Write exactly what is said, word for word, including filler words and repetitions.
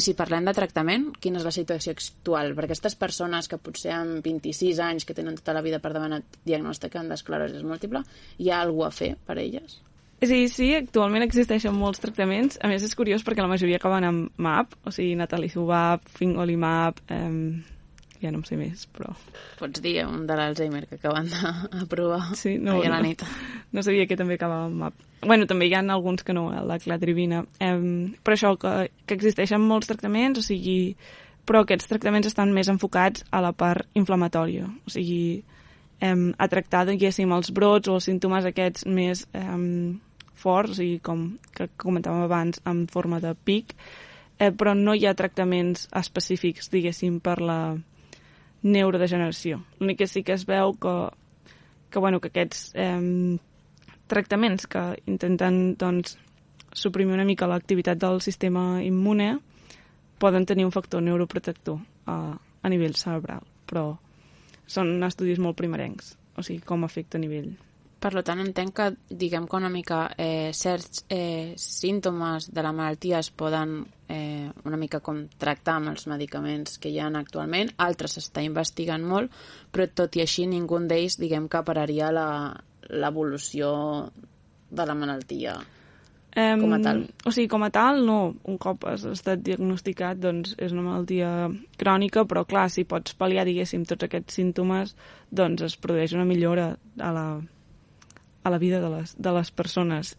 Si parlem de tractament, quina és la situació actual? Per aquestes persones que potser amb vint-i-sis anys, que tenen tota la vida per davant, diagnostiquen d'esclerosi múltiple, hi ha alguna a fer per elles? Sí, sí, actualment existeixen molts tractaments. A més, és curiós perquè la majoria acaben amb M A P, o sigui, natalizumab, fingolimab, eh, ja no em sé més, però... Pots dir un de l'Alzheimer que acaben d'aprovar sí, no, ahir a la no, nit. No sabia que també acabava amb M A P. Bueno, també hi ha alguns que no, la cladribina. Eh, però això, que, que existeixen molts tractaments, o sigui, però aquests tractaments estan més enfocats a la part inflamatòria, o sigui, eh, a tractar, diguéssim, els brots o els símptomes aquests més eh, forts, o sigui, com que comentàvem abans, en forma de pic, eh, però no hi ha tractaments específics, diguéssim, per la neurodegeneració. L'únic que sí que es veu que, que, bueno, que aquests eh, tractaments que intenten doncs, suprimir una mica l'activitat del sistema immune poden tenir un factor neuroprotector a, a nivell cerebral, però són estudis molt primerencs, o sigui, com afecta a nivell. Per tant, entenc que, diguem que una mica eh, certs eh, símptomes de la malaltia es poden eh, una mica com tractar amb els medicaments que hi ha actualment, altres s'està investigant molt, però tot i així ningú d'ells, diguem que pararia la, l'evolució de la malaltia um, com a tal. O sigui, com a tal, no. Un cop has estat diagnosticat, doncs és una malaltia crònica, però clar, si pots pal·liar, diguéssim, tots aquests símptomes, doncs es produeix una millora a la a la vida de les, de les persones.